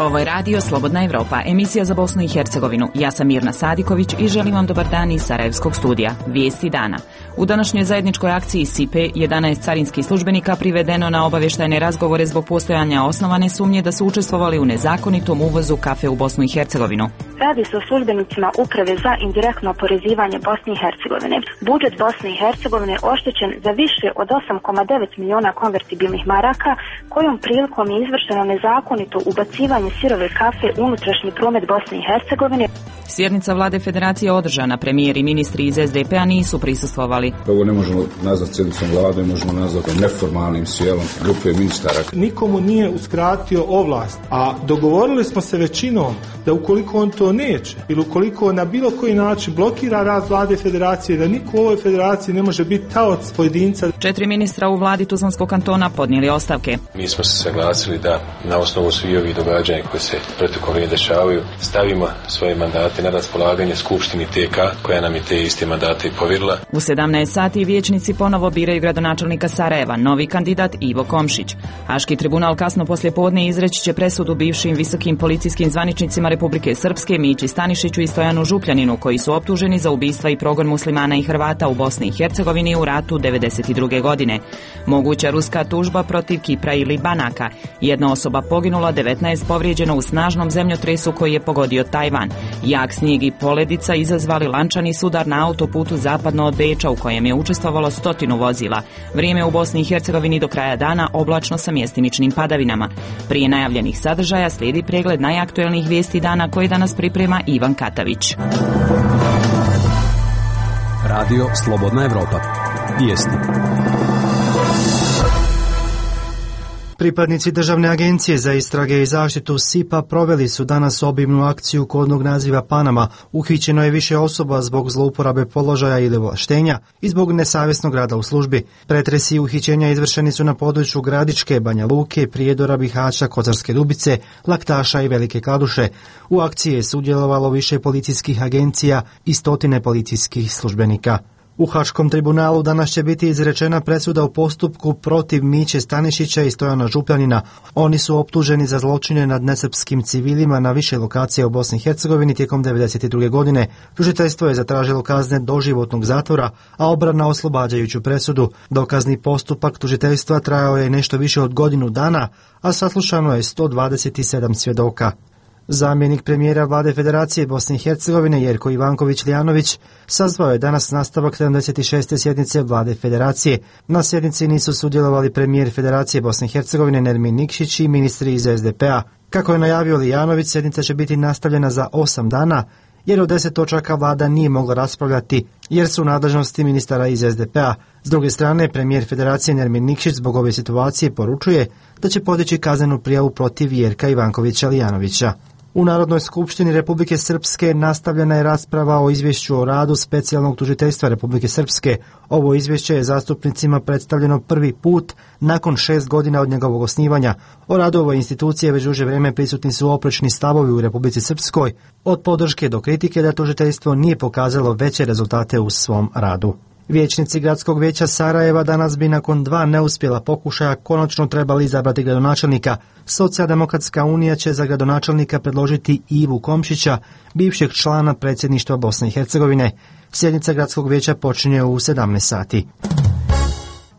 Ovo je radio Slobodna Evropa, emisija za Bosnu i Hercegovinu. Ja sam Mirna Sadiković i želim vam dobar dan iz Sarajevskog studija. Vijesti dana. U današnjoj zajedničkoj akciji SIPE 11 carinskih službenika privedeno na obavještajne razgovore zbog postojanja osnovane sumnje da su učestvovali u nezakonitom uvozu kafe u Bosnu i Hercegovinu. Radi se o službenicima Uprave za indirektno oporezivanje Bosne i Hercegovine. Budžet Bosne i Hercegovine je oštećen za više od 8,9 miliona konvertibilnih maraka, kojom prilikom je izvršeno nezakonito ubacivanje sirove kafe u unutrašnji promet Bosne i Hercegovine. Sjednica vlade federacije održana, premijer i ministri iz SDP-a nisu prisustvovali. Ovo ne možemo nazvati sjednicom vlade, možemo nazvati neformalnim sjelom grupe ministara. Nikomu nije uskratio ovlast, a dogovorili smo se većinom da ukoliko on to neće ili ukoliko na bilo koji način blokira rad vlade federacije, da niko u ovoj federaciji ne može biti taoc pojedinca. 4 ministra u vladi Tuzlanskog kantona podnijeli ostavke. Mi smo se saglasili da na osnovu svih ovih događanja koje se protekom dešavaju stavimo svoje mandate na raspolaganje Skupštini TK koja nam je te iste mandate i povjerila. U 17 sati vijećnici ponovo biraju gradonačelnika Sarajeva, novi kandidat Ivo Komšić. Haški tribunal kasno poslijepodne izreći će presudu bivšim visokim policijskim zvaničnicima Republike Srpske Mići Stanišiću i Stojanu Župljaninu, koji su optuženi za ubistva i progon muslimana i Hrvata u Bosni i Hercegovini u ratu 1992. godine. Moguća ruska tužba protiv Kipra ili Banaka. Jedna osoba poginula, 19 povrijeđeno u snažnom zemljotresu koji je pogodio Tajvan. Jak snijeg i poledica izazvali lančani sudar na autoputu zapadno od Beča u kojem je učestvovalo 100 vozila. Vrijeme u Bosni i Hercegovini do kraja dana oblačno sa mjestimičnim padavinama. Prije najavljenih sadržaja slijedi pregled najaktuelnijih vijesti dana koje danas priprema Ivan Katavić. Radio Slobodna Evropa. Vijesti. Pripadnici Državne agencije za istrage i zaštitu SIPA proveli su danas obimnu akciju kodnog naziva Panama. Uhićeno je više osoba zbog zlouporabe položaja ili ovlaštenja i zbog nesavjesnog rada u službi. Pretresi i uhićenja izvršeni su na području Gradiške, Banja Luke, Prijedora, Bihaća, Kozarske Dubice, Laktaša i Velike Kladuše. U akciji je sudjelovalo više policijskih agencija i 100 policijskih službenika. U Haškom tribunalu danas će biti izrečena presuda u postupku protiv Miće Stanišića i Stojana Župljanina. Oni su optuženi za zločine nad nesrpskim civilima na više lokacija u Bosni i Hercegovini tijekom 1992. godine. Tužiteljstvo je zatražilo kazne doživotnog zatvora, a obrana oslobađajuću presudu. Dokazni postupak tužiteljstva trajao je nešto više od godinu dana, a saslušano je 127 svjedoka. Zamjenik premijera vlade Federacije Bosne i Hercegovine Jerko Ivanković-Lijanović sazvao je danas nastavak 76. sjednice vlade Federacije. Na sjednici nisu sudjelovali premijer Federacije Bosne i Hercegovine Nermin Nikšić i ministri iz SDP-a. Kako je najavio Lijanović, sjednica će biti nastavljena za 8 dana, jer od 10 točaka vlada nije mogla raspravljati, jer su u nadležnosti ministara iz SDP-a. S druge strane, premijer Federacije Nermin Nikšić zbog ove situacije poručuje da će podići kaznenu prijavu protiv Jerka Ivankovića-Lijanovića. U Narodnoj skupštini Republike Srpske nastavljena je rasprava o izvješću o radu specijalnog tužiteljstva Republike Srpske. Ovo izvješće je zastupnicima predstavljeno prvi put nakon 6 godina od njegovog osnivanja. O radu ove institucije već duže vrijeme prisutni su oprečni stavovi u Republici Srpskoj, od podrške do kritike da tužiteljstvo nije pokazalo veće rezultate u svom radu. Vijećnici Gradskog vijeća Sarajeva danas bi nakon 2 neuspjela pokušaja konačno trebali izabrati gradonačelnika. Socijaldemokratska unija će za gradonačelnika predložiti Ivu Komšića, bivšeg člana predsjedništva Bosne i Hercegovine. Sjednica Gradskog vijeća počinje u 17 sati.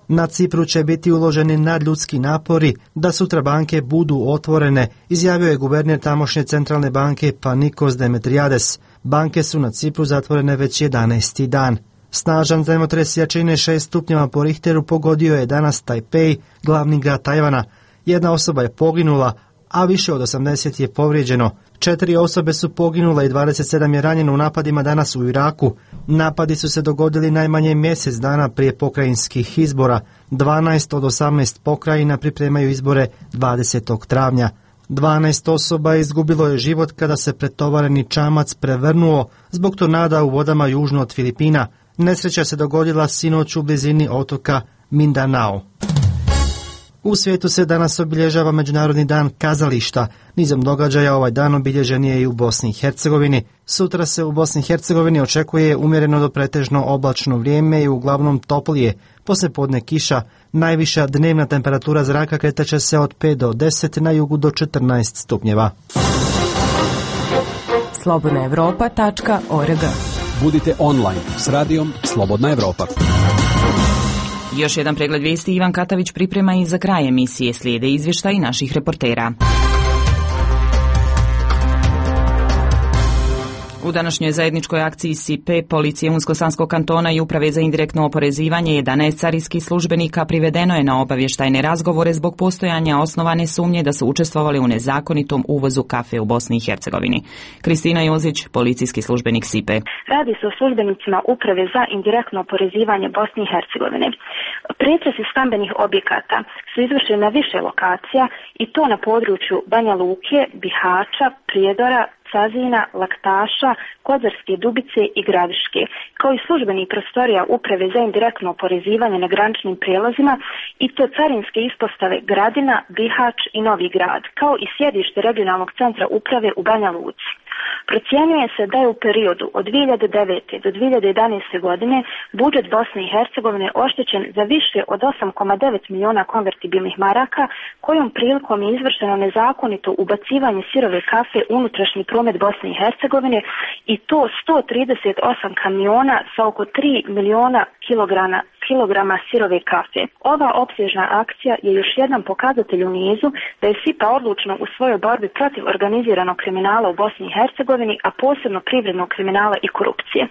Na Cipru će biti uloženi nadljudski napori da sutra banke budu otvorene, izjavio je guverner tamošnje centralne banke Panikos Demetriades. Banke su na Cipru zatvorene već 11. dan. Snažan zemljotres jačine 6 stupnjeva po Richteru pogodio je danas Tajpej, glavni grad Tajvana. Jedna osoba je poginula, a više od 80 je povrijeđeno. 4 osobe su poginule i 27 je ranjeno u napadima danas u Iraku. Napadi su se dogodili najmanje mjesec dana prije pokrajinskih izbora. 12 od 18 pokrajina pripremaju izbore 20. travnja. 12 osoba izgubilo je život kada se pretovareni čamac prevrnuo zbog tornada u vodama južno od Filipina. Nesreća se dogodila sinoć u blizini otoka Mindanao. U svijetu se danas obilježava Međunarodni dan kazališta. Nizom događaja ovaj dan obilježen je i u Bosni i Hercegovini. Sutra se u Bosni i Hercegovini očekuje umjereno do pretežno oblačno vrijeme i uglavnom toplije. poslijepodne kiša. Najviša dnevna temperatura zraka kretaće se od 5 do 10, na jugu do 14 stupnjeva. slobodnaevropa.org. Budite online s radijom Slobodna Evropa. Još jedan pregled vijesti Ivan Katavić priprema i za kraj emisije slijede izvještaji naših reportera. U današnjoj zajedničkoj akciji SIPE, policije Unsko-Sanskog kantona i Uprave za indirektno oporezivanje 11 carinskih službenika privedeno je na obavještajne razgovore zbog postojanja osnovane sumnje da su učestvovali u nezakonitom uvozu kafe u Bosni i Hercegovini. Kristina Jozić, policijski službenik SIPE. Radi se o službenicima Uprave za indirektno oporezivanje Bosne i Hercegovine. Pretresi stambenih objekata su izvršeni na više lokacija i to na području Banja Luke, Bihaća, Prijedora, Cazina, Laktaša, Kozarske Dubice i Gradiške, kao i službenih prostorija Uprave za indirektno oporezivanje na graničnim prijelazima i to carinske ispostave Gradina, Bihać i Novi Grad, kao i sjedište regionalnog centra uprave u Banja Luci. Procjenjuje se da je u periodu od 2009. do 2011. godine budžet Bosne i Hercegovine oštećen za više od 8,9 miliona konvertibilnih maraka, kojom prilikom je izvršeno nezakonito ubacivanje sirove kafe u unutrašnji promet Bosne i Hercegovine i to 138 kamiona sa oko 3 miliona kilograma sirove kafe. Ova opsežna akcija je još jedan pokazatelj u nizu da je SIPA odlučna u svojoj borbi protiv organiziranog kriminala u Bosni i Hercegovini, a posebno privrednog kriminala i korupcije.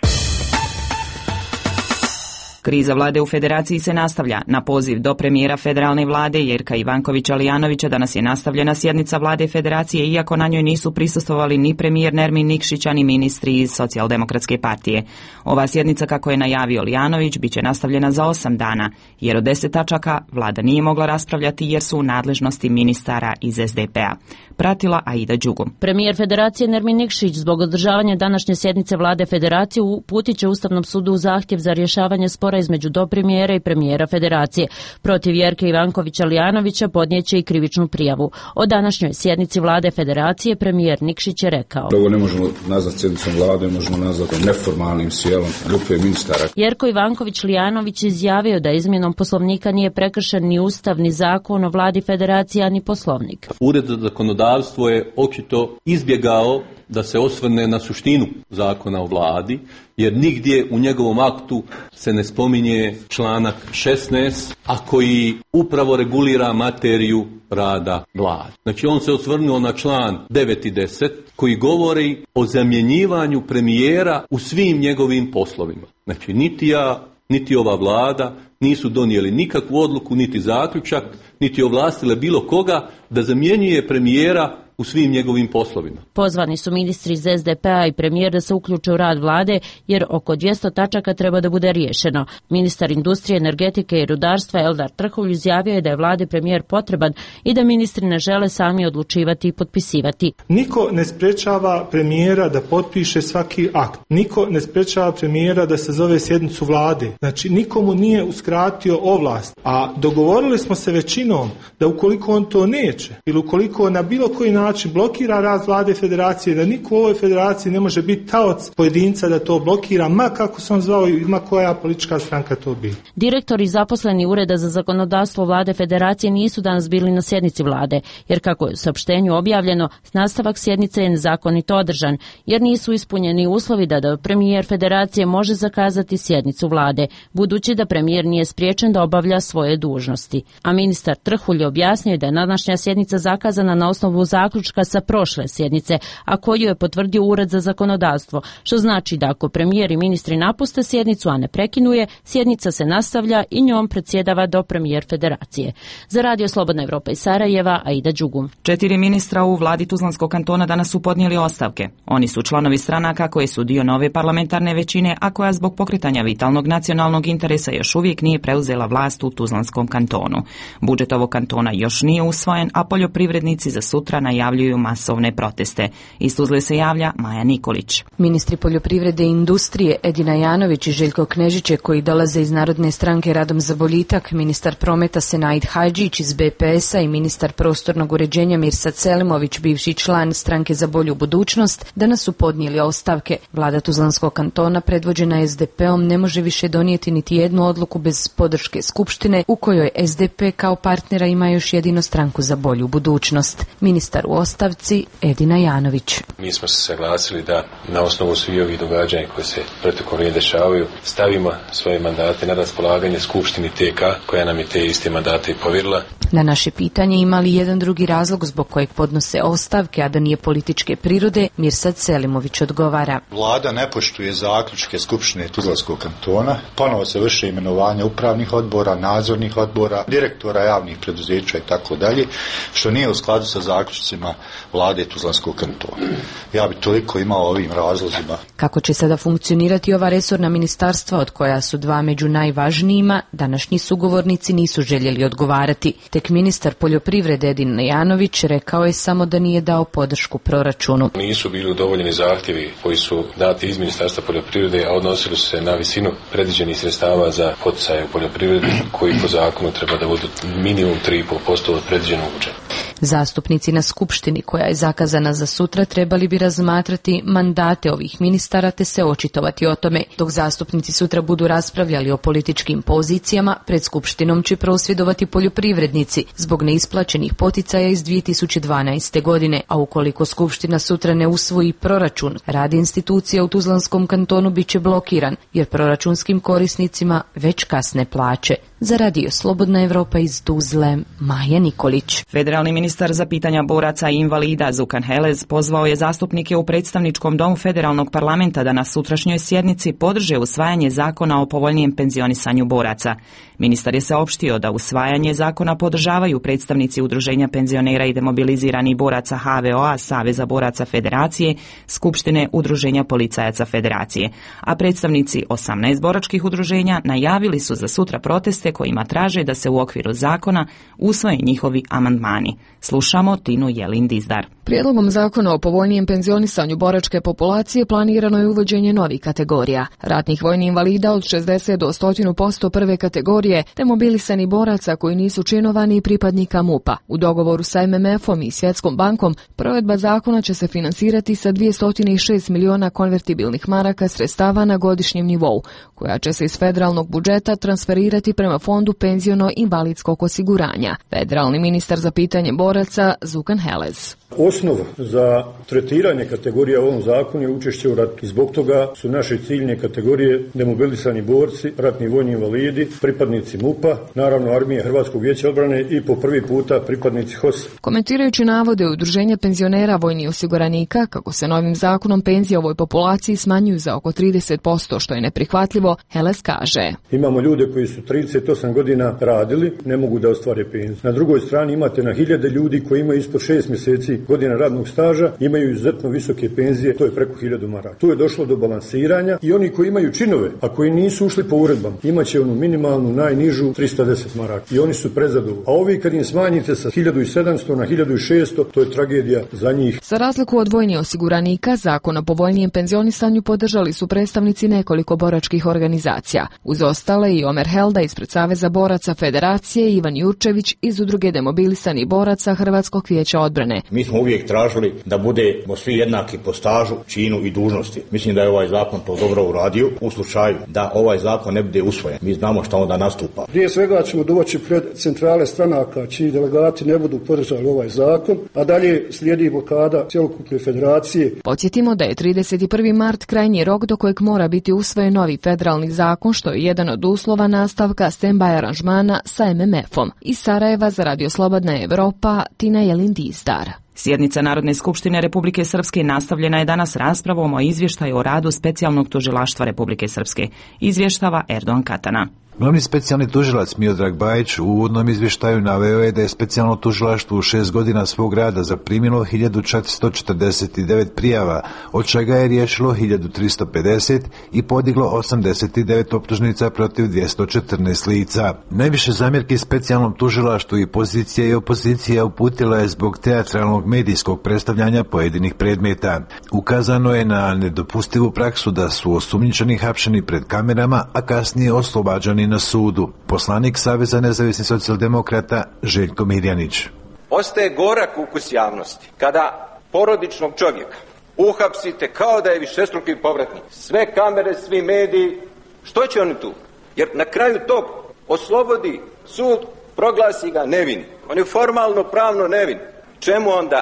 Kriza vlade u federaciji se nastavlja. Na poziv do premijera federalne vlade Jerka Ivankovića-Lijanovića danas je nastavljena sjednica vlade federacije, iako na njoj nisu prisustvovali ni premijer Nermin Nikšić, ni ministri iz Socijaldemokratske partije. Ova sjednica, kako je najavio Lijanović, bit će nastavljena za 8 dana, jer od 10 tačaka vlada nije mogla raspravljati jer su u nadležnosti ministara iz SDP-a. Pratila Aida Đugum. Premijer federacije Nermin Nikšić zbog održavanja današnje sjednice vlade federacije uputit će Ustavnom sudu zahtjev za rješavanje spora između dopremijera i premijera federacije. Protiv Jerke Ivankovića-Lijanovića podnijeće i krivičnu prijavu. O današnjoj sjednici vlade federacije premijer Nikšić je rekao: Ovo ne možemo nazvati sjednicom vlade, možemo nazvati neformalnim sjelom grupe ministara. Jerko Ivanković-Lijanović izjavio da izmjenom poslovnika nije prekršen ni Ustav, ni zakon o vladi federacija, ni poslovnik. Ured za zakonodavstvo je očito izbjegao da se osvrne na suštinu zakona o vladi, jer nigdje u njegovom aktu se ne spominje članak 16, a koji upravo regulira materiju rada vlade. Znači on se osvrnuo na član 9 i 10 koji govori o zamjenjivanju premijera u svim njegovim poslovima. Znači niti ja, niti ova vlada nisu donijeli nikakvu odluku, niti zaključak, niti ovlastile bilo koga da zamjenjuje premijera u svim njegovim poslovima. Pozvani su ministri iz SDP-a i premijer da se uključe u rad vlade, jer oko 200 tačaka treba da bude riješeno. Ministar industrije, energetike i rudarstva Eldar Trhulj izjavio je da je vladi premijer potreban i da ministri ne žele sami odlučivati i potpisivati. Niko ne sprečava premijera da potpiše svaki akt. Niko ne sprečava premijera da sazove sjednicu vlade. Znači nikomu nije uskratio ovlast. A dogovorili smo se većinom da ukoliko on to neće ili ukoliko na bilo koji način blokira rad vlade federacije, da niko u ovoj federaciji ne može biti taoc pojedinca da to blokira, ma kako se on zvao i ma koja politička stranka to bi. Direktori i zaposleni Ureda za zakonodavstvo vlade federacije nisu danas bili na sjednici vlade, jer kako je u saopštenju objavljeno, nastavak sjednice je nezakonito održan, jer nisu ispunjeni uslovi da premijer federacije može zakazati sjednicu vlade, budući da premijer nije spriječen da obavlja svoje dužnosti. A ministar Trhulj je objasnio da je današnja sjednica zakazana na osnovu zaključka sa prošle sjednice, a koju je potvrdio Ured za zakonodavstvo, što znači da ako premijer i ministri napuste sjednicu, a ne prekinuje, sjednica se nastavlja i njom predsjedava do premijer federacije. Za Radio Slobodna Evropa iz Sarajeva, Aida Đugum. 4 ministra u vladi Tuzlanskog kantona danas su podnijeli ostavke. Oni su članovi stranaka koje su dio nove parlamentarne većine, a koja zbog pokretanja vitalnog nacionalnog interesa još uvijek nije preuzela vlast u Tuzlanskom kantonu. Budžet ovog kantona još nije usvojen, a poljoprivrednici za sutra najavili najavljuju masovne proteste. Iz Tuzle se javlja Maja Nikolić. Ministri poljoprivrede i industrije Edina Janović i Željko Knežiće, koji dolaze iz Narodne stranke Radom za boljitak, ministar prometa Senaid Hadžić iz BPS-a i ministar prostornog uređenja Mirsad Selimović, bivši član stranke za bolju budućnost, danas su podnijeli ostavke. Vlada Tuzlanskog kantona predvođena SDP-om ne može više donijeti niti jednu odluku bez podrške skupštine, u kojoj SDP kao partnera ima još jedino stranku za bolju budućnost. Ministar u ostavci Edina Janović. Mi smo se saglasili da na osnovu svih ovih događanja koje se protekom vremena dešavaju stavimo svoje mandate na raspolaganje skupštini TK koja nam je te iste mandate i povjerila. Na naše pitanje ima li jedan drugi razlog zbog kojeg podnose ostavke, a da nije političke prirode, Mirsad Selimović odgovara. Vlada ne poštuje zaključke skupštine Tuzlanskog kantona, ponovo se vrše imenovanja upravnih odbora, nadzornih odbora, direktora javnih preduzeća i tako dalje, što nije u skladu sa zaključcima Vlade Tuzlanskog kantona. Ja bih toliko imao ovim razlozima. Kako će sada funkcionirati ova resorna ministarstva, od koja su dva među najvažnijima, današnji sugovornici nisu željeli odgovarati. Tek ministar poljoprivrede Edin Janović rekao je samo da nije dao podršku proračunu. Nisu bili udovoljeni zahtjevi koji su dati iz Ministarstva poljoprivrede, a odnosili su se na visinu predviđenih sredstava za poticaje u poljoprivredi, koji po zakonu treba da budu minimum 3,5% od predviđenog budžeta. Zastupnici na skupštini, koja je zakazana za sutra, trebali bi razmatrati mandate ovih ministara te se očitovati o tome. Dok zastupnici sutra budu raspravljali o političkim pozicijama, pred skupštinom će prosvjedovati poljoprivrednici zbog neisplaćenih poticaja iz 2012. godine, a ukoliko skupština sutra ne usvoji proračun, rad institucija u Tuzlanskom kantonu bit će blokiran, jer proračunskim korisnicima već kasne plaće. Za Radio Slobodna Evropa iz Tuzle, Maja Nikolić. Federalni ministar za pitanja boraca i invalida Zukan Helez pozvao je zastupnike u predstavničkom domu federalnog parlamenta da na sutrašnjoj sjednici podrže usvajanje zakona o povoljnijem penzionisanju boraca. Ministar je saopštio da usvajanje zakona podržavaju predstavnici Udruženja penzionera i demobiliziranih boraca HVO-a, Saveza boraca Federacije, Skupštine Udruženja policajaca Federacije, a predstavnici 18 boračkih udruženja najavili su za sutra proteste kojima traže da se u okviru zakona usvoje njihovi amandmani. Slušamo Tinu Jelin-Dizdar. Prijedlogom zakona o povoljnijem penzionisanju boračke populacije planirano je uvođenje novih kategorija. Ratnih vojnih invalida od 60 do 100% prve kategorije, te mobilisani boraca koji nisu činovani i pripadnika MUP-a. U dogovoru sa MMF-om i Svjetskom bankom, provedba zakona će se finansirati sa 206 miliona konvertibilnih maraka sredstava na godišnjem nivou, koja će se iz federalnog budžeta transferirati prema Fondu penziono-invalidskog osiguranja. Federalni ministar za pitanje boraca Zukan Helez. Osnov za tretiranje kategorija u ovom zakonu je učešće u ratu. I zbog toga su naše ciljne kategorije demobilisani borci, ratni vojni invalidi, pripadnici MUP-a, naravno Armije Hrvatskog vijeća odbrane i po prvi puta pripadnici HOS. Komentirajući navode Udruženja penzionera vojnih osiguranika kako se novim zakonom penzije ovoj populaciji smanjuju za oko 30%, što je neprihvatljivo, Helez kaže. Imamo ljude koji su 38 godina radili, ne mogu da ostvare penziju. Na drugoj strani imate na hiljade ljudi koji imaju ispod 6 mjeseci godina radnog staža, imaju izuzetno visoke penzije, to je preko 1000 maraka. Tu je došlo do balansiranja i oni koji imaju činove, a koji nisu ušli po uredbama, imaće onu minimalnu, najnižu 310 maraka. I oni su prezadovoljni. A ovi kad im smanjite sa 1700 na 1600, to je tragedija za njih. Za razliku od vojnih osiguranika, zakon o povoljnijem penzionisanju podržali su predstavnici nekoliko boračkih organizacija. Uz ostale i Omer Helda ispred Saveza boraca Federacije i Ivan Jurčević iz Udruge demobilisanih boraca Hrvatskog vijeća odbrane. Mi smo uvijek tražili da budemo svi jednaki po stažu, činu i dužnosti. Mislim da je ovaj zakon to dobro uradio. U slučaju da ovaj zakon ne bude usvojen, mi znamo šta onda nastupa. Prije svega ćemo doći pred centrale stranaka čiji delegati ne budu podržali ovaj zakon, a dalje slijedi blokada cjelokupne federacije. Podsjetimo da je 31. mart krajnji rok do kojeg mora biti usvojen novi federalni zakon, što je jedan od uslova nastavka stand-by aranžmana sa MMF-om. Iz Sarajeva za Radio Slobodna Evropa, Tina Jelin-Dizdar. Sjednica Narodne skupštine Republike Srpske nastavljena je danas raspravom o izvještaju o radu specijalnog tužilaštva Republike Srpske. Izvještava Erdogan Katana. Glavni specijalni tužilac Miodrag Bajić u uvodnom izvještaju naveo je da je specijalno tužilaštvo u 6 godina svog rada zaprimilo 1449 prijava, od čega je riješilo 1350 i podiglo 89 optužnica protiv 214 lica. Najviše zamjerki specijalnom tužilaštvu i pozicija i opozicija uputila je zbog teatralnog medijskog predstavljanja pojedinih predmeta. Ukazano je na nedopustivu praksu da su osumnjičeni hapšeni pred kamerama, a kasnije oslobađani na sudu. Poslanik Saveza nezavisnih socijaldemokrata Željko Mirjanić. Ostaje gorak ukus javnosti kada porodičnog čovjeka uhapsite kao da je višestruki povratnik. Sve kamere, svi mediji, što će oni tu? Jer na kraju tog oslobodi sud, proglasi ga nevin. On je formalno pravno nevin. Čemu onda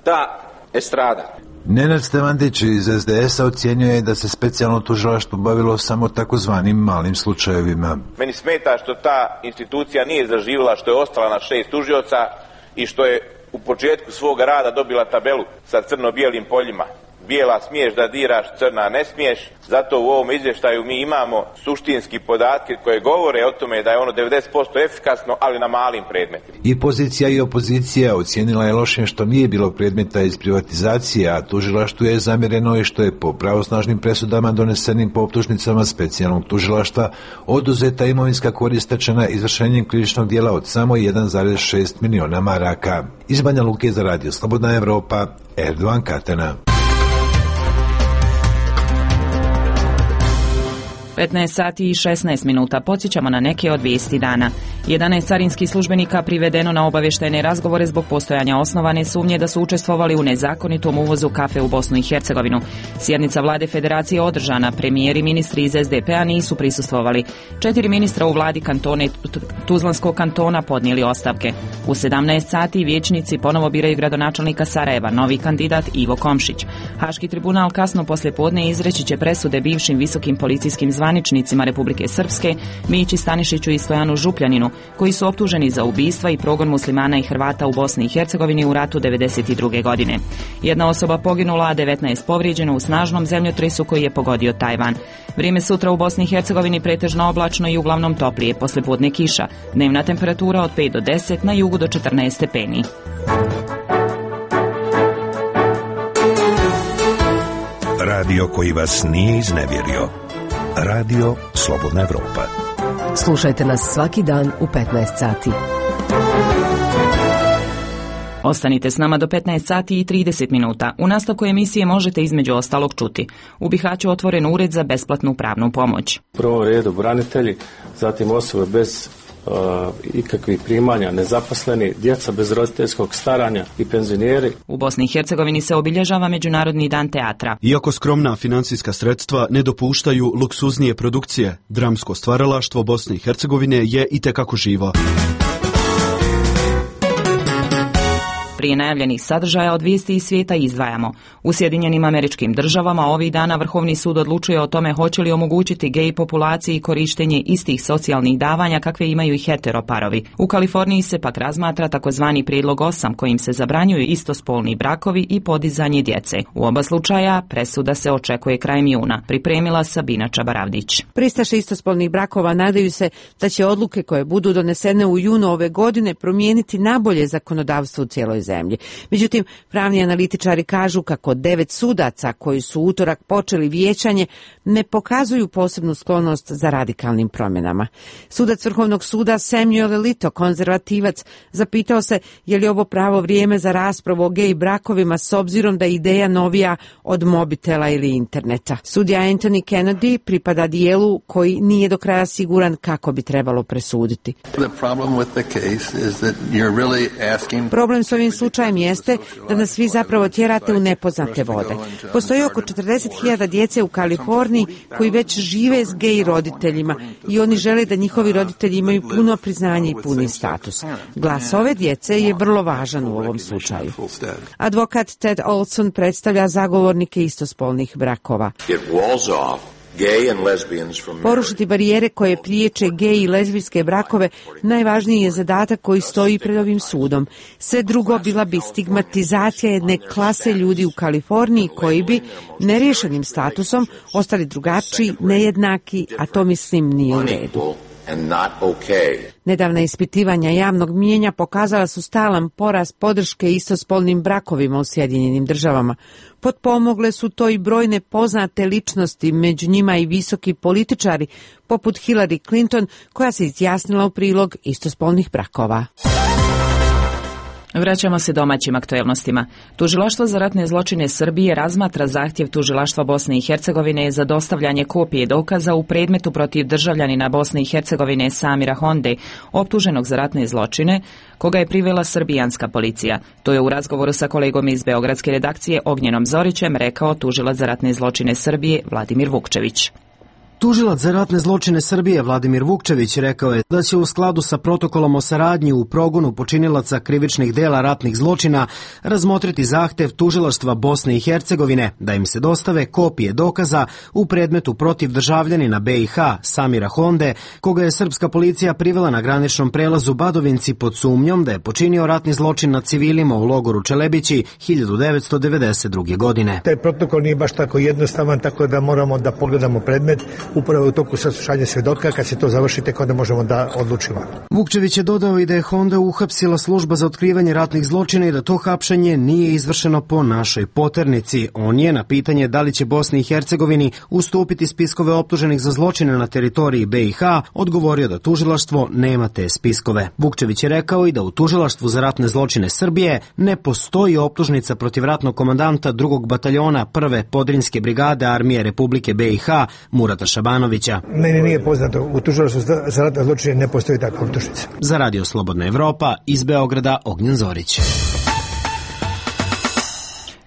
ta estrada? Nenad Stevandić iz SDS-a ocjenjuje da se specijalno tužilaštvo bavilo samo takozvanim malim slučajevima. Meni smeta što ta institucija nije zaživjela, što je ostala na 6 tužioca i što je u početku svoga rada dobila tabelu sa crno-bijelim poljima. Bijela smiješ da diraš, crna ne smiješ. Zato u ovom izvještaju mi imamo suštinski podatke koje govore o tome da je ono 90% efikasno, ali na malim predmetima. I pozicija i opozicija ocijenila je lošim što nije bilo predmeta iz privatizacije, a tužilaštvu je zamjereno i što je po pravosnažnim presudama donesenim po optužnicama specijalnog tužilaštva oduzeta imovinska korist stečena izvršenjem krivičnog djela od samo 1,6 miliona maraka. Iz Banja Luke za Radio Slobodna Evropa, Erdovan Katena. 15 sati i 16 minuta. Podsjećamo na neke od vijesti dana. 11 carinskih službenika privedeno na obavještajne razgovore zbog postojanja osnovane sumnje da su učestvovali u nezakonitom uvozu kafe u Bosnu i Hercegovinu. Sjednica vlade federacije održana, premijer i ministri iz SDP-a nisu prisustvovali. 4 ministra u vladi kantone Tuzlanskog kantona podnijeli ostavke. U 17 sati vijećnici ponovo biraju gradonačelnika Sarajeva, novi kandidat Ivo Komšić. Haški tribunal kasno poslijepodne izreći će presude bivšim visokim policijskim zvaničnicima Republike Srpske, Mići Stanišiću i Stojanu Župljaninu, koji su optuženi za ubistva i progon muslimana i Hrvata u Bosni i Hercegovini u ratu 1992. godine. Jedna osoba poginula, a 19 povrijeđeno u snažnom zemljotresu koji je pogodio Tajvan. Vrijeme sutra u Bosni i Hercegovini pretežno oblačno i uglavnom toplije, poslijepodne kiša. Dnevna temperatura od 5 do 10, na jugu do 14 stepeni. Radio koji vas nije iznevjerio. Radio Slobodna Evropa. Slušajte nas svaki dan u 15 sati. Ostanite s nama do 15 sati i 30 minuta. U nastavku emisije možete između ostalog čuti: u Bihaću otvoren ured za besplatnu pravnu pomoć. U prvom redu branitelji, zatim osobe bez ikakvih primanja, nezaposleni, djeca bez roditeljskog staranja i penzioneri. U Bosni i Hercegovini se obilježava Međunarodni dan teatra. Iako skromna financijska sredstva ne dopuštaju luksuznije produkcije, dramsko stvaralaštvo Bosne i Hercegovine je itekako živo. Prije najavljenih sadržaja od vijesti iz svijeta izdvajamo. U Sjedinjenim Američkim Državama ovih dana Vrhovni sud odlučuje o tome hoće li omogućiti gej populaciji korištenje istih socijalnih davanja kakve imaju i heteroparovi. U Kaliforniji se pak razmatra takozvani prijedlog 8 kojim se zabranjuju istospolni brakovi i podizanje djece. U oba slučaja presuda se očekuje krajem juna. Pripremila Sabina Čabaravdić. Pristaše istospolnih brakova nadaju se da će odluke koje budu donesene u junu ove godine promijeniti nabolje zakonodavstvo u cijeloj zemlji. Međutim, pravni analitičari kažu kako 9 sudaca koji su u utorak počeli vijećanje ne pokazuju posebnu sklonost za radikalnim promjenama. Sudac Vrhovnog suda Samuel Alito, konzervativac, zapitao se je li ovo pravo vrijeme za raspravu o gej brakovima s obzirom da je ideja novija od mobitela ili interneta. Sudija Anthony Kennedy pripada dijelu koji nije do kraja siguran kako bi trebalo presuditi. Problem s ovim slučajem jeste da nas vi zapravo tjerate u nepoznate vode. Postoji oko 40.000 djece u Kaliforniji koji već žive s gej roditeljima i oni žele da njihovi roditelji imaju puno priznanje i puni status. Glas ove djece je vrlo važan u ovom slučaju. Advokat Ted Olson predstavlja zagovornike istospolnih brakova. Porušiti barijere koje priječe gej i lezbijske brakove najvažniji je zadatak koji stoji pred ovim sudom. Sve drugo bila bi stigmatizacija jedne klase ljudi u Kaliforniji koji bi neriješenim statusom ostali drugačiji, nejednaki, a to mislim nije u redu. and not okay. Nedavna ispitivanja javnog mijenja pokazala su stalan porast podrške istospolnim brakovima u Sjedinjenim Državama. Potpomogle su to i brojne poznate ličnosti, među njima i visoki političari, poput Hillary Clinton, koja se izjasnila u prilog istospolnih brakova. Vraćamo se domaćim aktuelnostima. Tužilaštvo za ratne zločine Srbije razmatra zahtjev Tužilaštva Bosne i Hercegovine za dostavljanje kopije dokaza u predmetu protiv državljanina Bosne i Hercegovine Samira Honde, optuženog za ratne zločine, koga je privela srbijanska policija. To je u razgovoru sa kolegom iz beogradske redakcije Ognjenom Zorićem rekao tužilac za ratne zločine Srbije Vladimir Vukčević. Tužilac za ratne zločine Srbije Vladimir Vukčević rekao je da će u skladu sa protokolom o saradnji u progonu počinilaca krivičnih dela ratnih zločina razmotriti zahtev Tužilaštva Bosne i Hercegovine da im se dostave kopije dokaza u predmetu protiv državljanina BiH Samira Honde, koga je srpska policija privela na graničnom prelazu Badovinci pod sumnjom da je počinio ratni zločin nad civilima u logoru Čelebići 1992. godine. Taj protokol nije baš tako jednostavan, tako da moramo da pogledamo predmet upravo u toku saslušanja svjedoka. Kad se to završi, tek onda možemo da odlučimo. Vukčević je dodao i da je Honda uhapsila služba za otkrivanje ratnih zločina i da to hapšenje nije izvršeno po našoj poternici. On je na pitanje da li će Bosni i Hercegovini ustupiti spiskove optuženih za zločine na teritoriji BiH odgovorio da tužilaštvo nema te spiskove. Vukčević je rekao i da u Tužilaštvu za ratne zločine Srbije ne postoji optužnica protiv ratnog komandanta 2. bataljona 1. Podrinjske brigade Armije Republike BiH Murata Šabanovića. Meni nije poznato, u Tužilaštvu za ratne zločine ne postoji takva optužnica. Za Radio Slobodna Evropa iz Beograda Ognjen Zorić.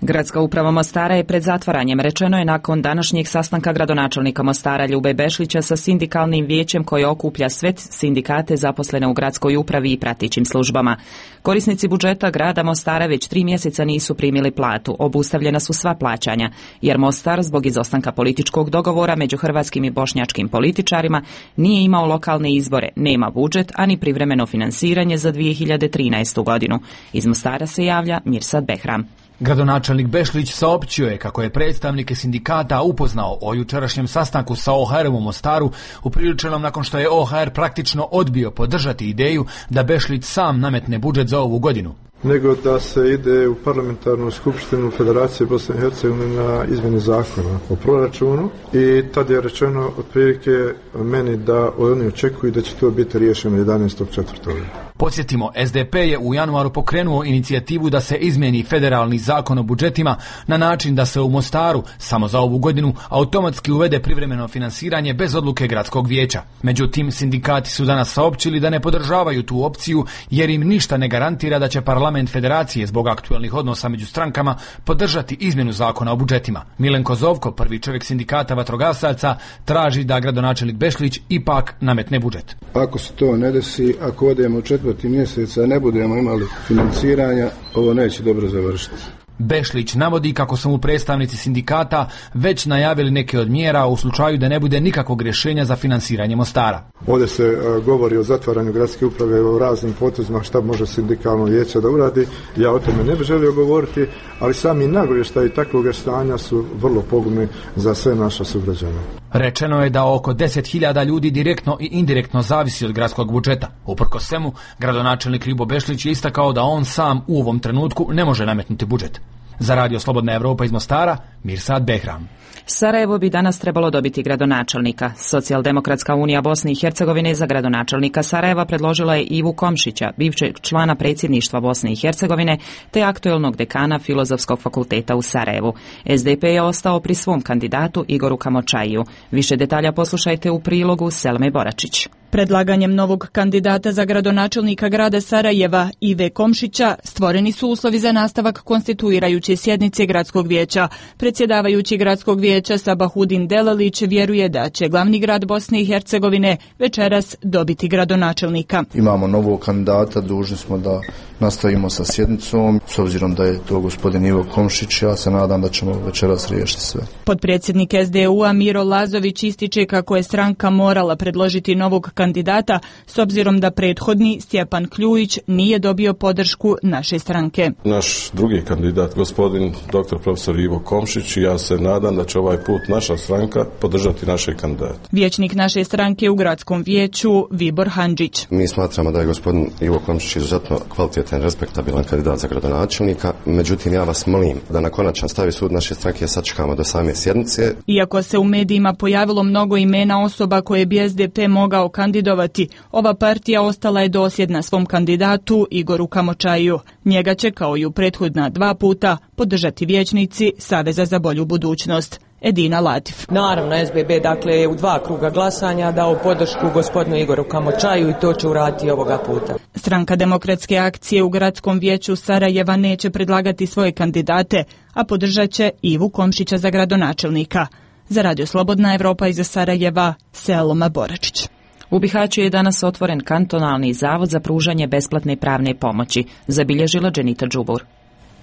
Gradska uprava Mostara je pred zatvaranjem, rečeno je nakon današnjeg sastanka gradonačelnika Mostara Ljube Bešlića sa sindikalnim vijećem koje okuplja sve sindikate zaposlene u gradskoj upravi i pratećim službama. Korisnici budžeta grada Mostara već 3 mjeseca nisu primili platu, obustavljena su sva plaćanja, jer Mostar zbog izostanka političkog dogovora među hrvatskim i bošnjačkim političarima nije imao lokalne izbore, nema budžet, ani privremeno finansiranje za 2013. godinu. Iz Mostara se javlja Mirsad Behram. Gradonačelnik Bešlić saopćio je kako je predstavnike sindikata upoznao o jučerašnjem sastanku sa OHR-om u Mostaru, upriličenom nakon što je OHR praktično odbio podržati ideju da Bešlić sam nametne budžet za ovu godinu, nego da se ide u parlamentarnu skupštinu Federacije Bosne i Hercegovine na izmjene zakona o proračunu i tad je rečeno otprilike meni da oni očekuju da će to biti riješeno 11.4. Podsjetimo, SDP je u januaru pokrenuo inicijativu da se izmijeni federalni zakon o budžetima na način da se u Mostaru samo za ovu godinu automatski uvede privremeno finansiranje bez odluke gradskog vijeća. Međutim, sindikati su danas saopćili da ne podržavaju tu opciju jer im ništa ne garantira da će parlament federacije zbog aktualnih odnosa među strankama podržati izmjenu zakona o budžetima. Milenko Zovko, prvi čovjek sindikata vatrogasaca, traži da gradonačelnik Bešlić ipak nametne budžet. Ako se to ne desi, ako odemo u 4. mjeseca ne budemo imali financiranja, ovo neće dobro završiti. Bešlić navodi kako su mu predstavnici sindikata već najavili neke od mjera u slučaju da ne bude nikakvog rješenja za finansiranje Mostara. Ovdje se govori o zatvaranju gradske uprave, o raznim potezima šta može sindikalno vijeće da uradi. Ja o tome ne bih želio govoriti, ali sami nagovještaji takvog stanja su vrlo pogubni za sve naše sugrađane. Rečeno je da oko 10.000 ljudi direktno i indirektno zavisi od gradskog budžeta. Uprkos svemu, gradonačelnik Ljubo Bešlić je istakao da on sam u ovom trenutku ne može nametnuti budžet. Za Radio Slobodna Evropa iz Mostara, Mirsad Behram. Sarajevo bi danas trebalo dobiti gradonačelnika. Socijaldemokratska unija Bosne i Hercegovine za gradonačelnika Sarajeva predložila je Ivu Komšića, bivšeg člana predsjedništva Bosne i Hercegovine, te aktuelnog dekana Filozofskog fakulteta u Sarajevu. SDP je ostao pri svom kandidatu Igoru Kamočajiju. Više detalja poslušajte u prilogu Selme Boračić. Predlaganjem novog kandidata za gradonačelnika grada Sarajeva Ive Komšića stvoreni su uslovi za nastavak konstituirajuće sjednice gradskog vijeća. Predsjedavajući gradskog vijeća Sabahudin Delalić vjeruje da će glavni grad Bosne i Hercegovine večeras dobiti gradonačelnika. Imamo novog kandidata, dužni smo da nastavimo sa sjednicom. S obzirom da je to gospodin Ivo Komšić, ja se nadam da ćemo večeras riješiti sve. Potpredsjednik SDU-a Miro Lazović ističe kako je stranka morala predložiti novog kandidata s obzirom da prethodni Stjepan Kljujić nije dobio podršku naše stranke. Naš drugi kandidat, gospodin dr. profesor Ivo Komšić, i ja se nadam da će ovaj put naša stranka podržati naše kandidate. Vijećnik naše stranke u gradskom vijeću Vibor Handžić. Mi smatramo da je gospodin Ivo Komšić izuzetno kvalitetan, respektabilan kandidat za gradonačelnika, međutim ja vas molim da na konačan stavi sud naše stranke sačekamo do same sjednice. Iako se u medijima pojavilo mnogo imena osoba koje bi SDP mogao kandidovati, ova partija ostala je dosljedna svom kandidatu Igoru Kamočaju. Njega će, kao i u prethodna 2 puta, podržati vijećnici Saveza za bolju budućnost. Edina Latif. Naravno, SBB je u 2 kruga glasanja dao podršku gospodinu Igoru Kamočaju i to će uraditi ovoga puta. Stranka Demokratske akcije u gradskom vijeću Sarajeva neće predlagati svoje kandidate, a podržat će Ivu Komšića za gradonačelnika. Za Radio Slobodna Evropa iz Sarajeva, Selma Boračić. U Bihaću je danas otvoren kantonalni zavod za pružanje besplatne pravne pomoći, zabilježila Dženita Džubur.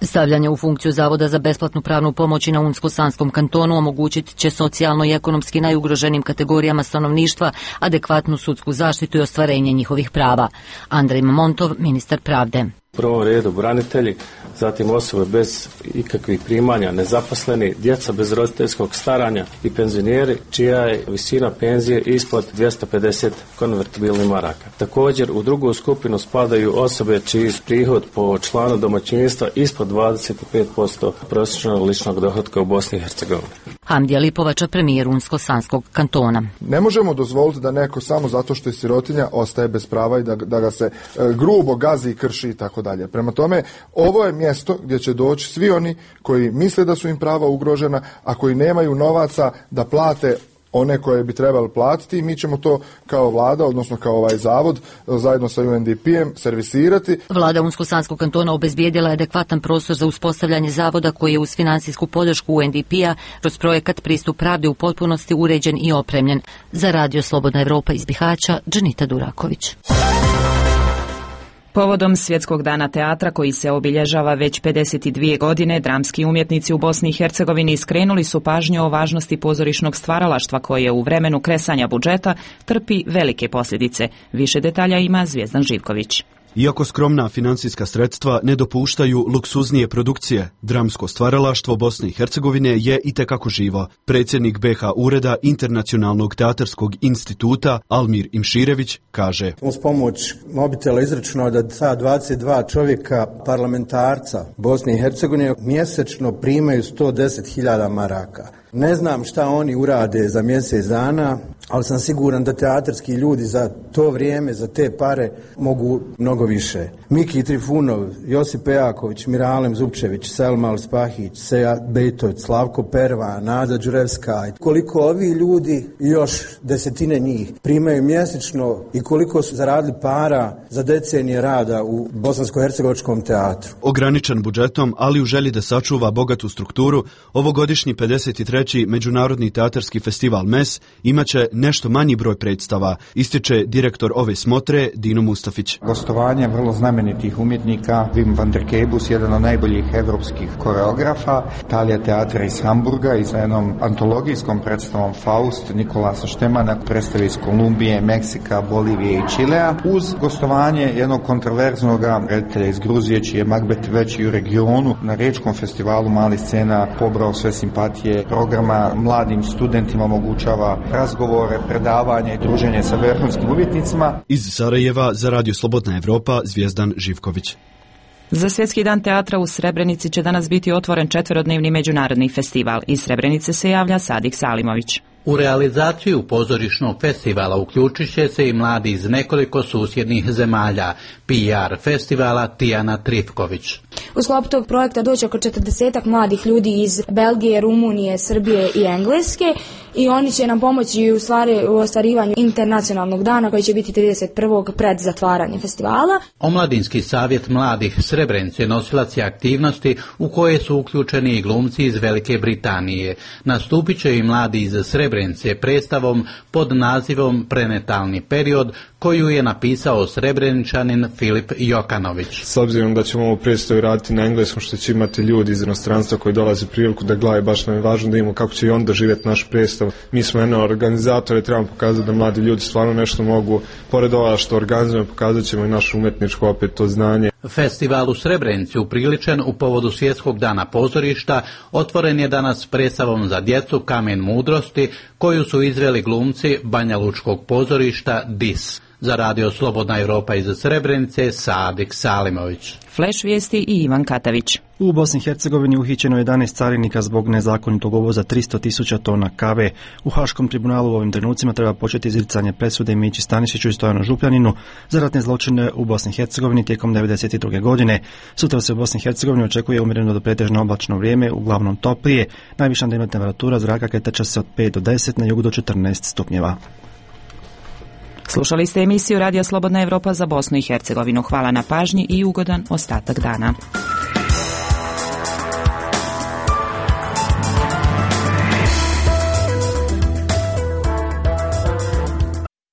Stavljanje u funkciju Zavoda za besplatnu pravnu pomoć na Unsko-Sanskom kantonu omogućit će socijalno i ekonomski najugroženim kategorijama stanovništva adekvatnu sudsku zaštitu i ostvarenje njihovih prava. Andrej Mamontov, ministar pravde. U prvom redu branitelji, zatim osobe bez ikakvih primanja, nezaposleni, djeca bez roditeljskog staranja i penzioneri čija je visina penzije ispod 250 konvertibilnih maraka. Također u drugu skupinu spadaju osobe čiji prihod po članu domaćinstva ispod 25% prosječnog ličnog dohotka u Bosni i Hercegovini. Hamdija Lipovača, premijer Unsko-Sanskog kantona. Ne možemo dozvoliti da neko samo zato što je sirotinja ostaje bez prava i da ga se grubo gazi i krši i tako dalje. Prema tome, ovo je mjesto gdje će doći svi oni koji misle da su im prava ugrožena, a koji nemaju novaca da plate one koje bi trebali platiti, i mi ćemo to kao vlada, odnosno kao ovaj zavod, zajedno sa UNDP-em servisirati. Vlada Unsko-Sanskog kantona obezbijedila je adekvatan prostor za uspostavljanje zavoda koji je uz financijsku podršku UNDP-a kroz projekat Pristup pravde u potpunosti uređen i opremljen. Za Radio Slobodna Evropa iz Bihaća, Dženita Duraković. Povodom Svjetskog dana teatra koji se obilježava već 52 godine, dramski umjetnici u Bosni i Hercegovini skrenuli su pažnju o važnosti pozorišnog stvaralaštva koje u vremenu kresanja budžeta trpi velike posljedice. Više detalja ima Zvijezdan Živković. Iako skromna financijska sredstva ne dopuštaju luksuznije produkcije, dramsko stvaralaštvo Bosne i Hercegovine je itekako živo. Predsjednik BH ureda Internacionalnog teatarskog instituta Almir Imširević kaže: uz pomoć mobitela izračunao da ta 22 čovjeka parlamentarca Bosne i Hercegovine mjesečno primaju 110.000 maraka. Ne znam šta oni urade za mjesec dana, ali sam siguran da teatarski ljudi za to vrijeme, za te pare mogu mnogo više. Miki Trifunov, Josip Pejaković, Miralem Zupčević, Selma Spahić, Seja Bejtović, Slavko Perva, Nada Đurevska. Koliko ovi ljudi, još desetine njih, primaju mjesečno i koliko su zaradili para za decenije rada u bosansko-hercegovačkom teatru. Ograničen budžetom, ali u želji da sačuva bogatu strukturu, ovogodišnji 53. Međunarodni teatarski festival MES imaće nešto manji broj predstava, ističe direktor ove smotre Dino Mustafić. Gostovanje vrlo znamenitih umjetnika, Wim van der Kebus, jedan od najboljih evropskih koreografa, Talija teatra iz Hamburga i sa jednom antologijskom predstavom Faust, Nikolasa Štemana, predstave iz Kolumbije, Meksika, Bolivije i Čilea, uz gostovanje jednog kontroverznog reditelja iz Gruzije, čiji je Macbeth već i u regionu na Riječkom festivalu malih scena pobrao sve simpatije. Programa mladim studentima omogućava razgovore, predavanje i druženje sa vrhunskim umjetnicima. Iz Sarajeva za Radio Slobodna Evropa, Zvijezdan Živković. Za Svjetski dan teatra u Srebrenici će danas biti otvoren 4-dnevni međunarodni festival. Iz Srebrenice se javlja Sadik Salimović. U realizaciju pozorišnog festivala uključit će se i mladi iz nekoliko susjednih zemalja. PR festivala Tijana Trifković. U sklopu tog projekta doći oko 40 mladih ljudi iz Belgije, Rumunije, Srbije i Engleske i oni će nam pomoći u ostvarivanju internacionalnog dana koji će biti 31. pred zatvaranje festivala. Omladinski savjet mladih Srebrenice nosilac je aktivnosti u koje su uključeni i glumci iz Velike Britanije. Nastupit će i mladi iz Srebrenice predstavom pod nazivom Prenatalni period koju je napisao Srebreničanin Filip Jokanović. S obzirom da ćemo ovu predstavu raditi na engleskom, što će imati ljudi iz inostranstva koji dolaze priliku da gledaju, baš nam je važno da imamo kako će i on doživjeti našu predstavu. Mi smo jedno organizatori, trebamo pokazati da mladi ljudi stvarno nešto mogu, pored ovoga što organizujemo, pokazat ćemo i našu umjetničko opet to znanje. Festival u Srebrenici upriličen u povodu Svjetskog dana pozorišta otvoren je danas predstavom za djecu Kamen mudrosti koju su izveli glumci Banja Lučkog pozorišta DIS. Za Radio Slobodna Europa iz Srebrenice, Sadik Salimović. Flash vijesti i Ivan Katavić. U Bosni i Hercegovini uhićeno 11 carinika zbog nezakonitog uvoza 300.000 tona kave. U Haškom tribunalu u ovim trenucima treba početi izricanje presude Mići Stanišiću i Stojanu Župljaninu za ratne zločine u Bosni i Hercegovini tijekom 1992. godine. Sutra se u Bosni i Hercegovini očekuje umjereno do pretežno oblačno vrijeme, uglavnom toplije. Najviša dnevna temperatura zraka kretat se od 5 do 10, na jugu do 14 stupnjeva. Slušali ste emisiju Radio Slobodna Europa za Bosnu i Hercegovinu. Hvala na pažnji i ugodan ostatak dana.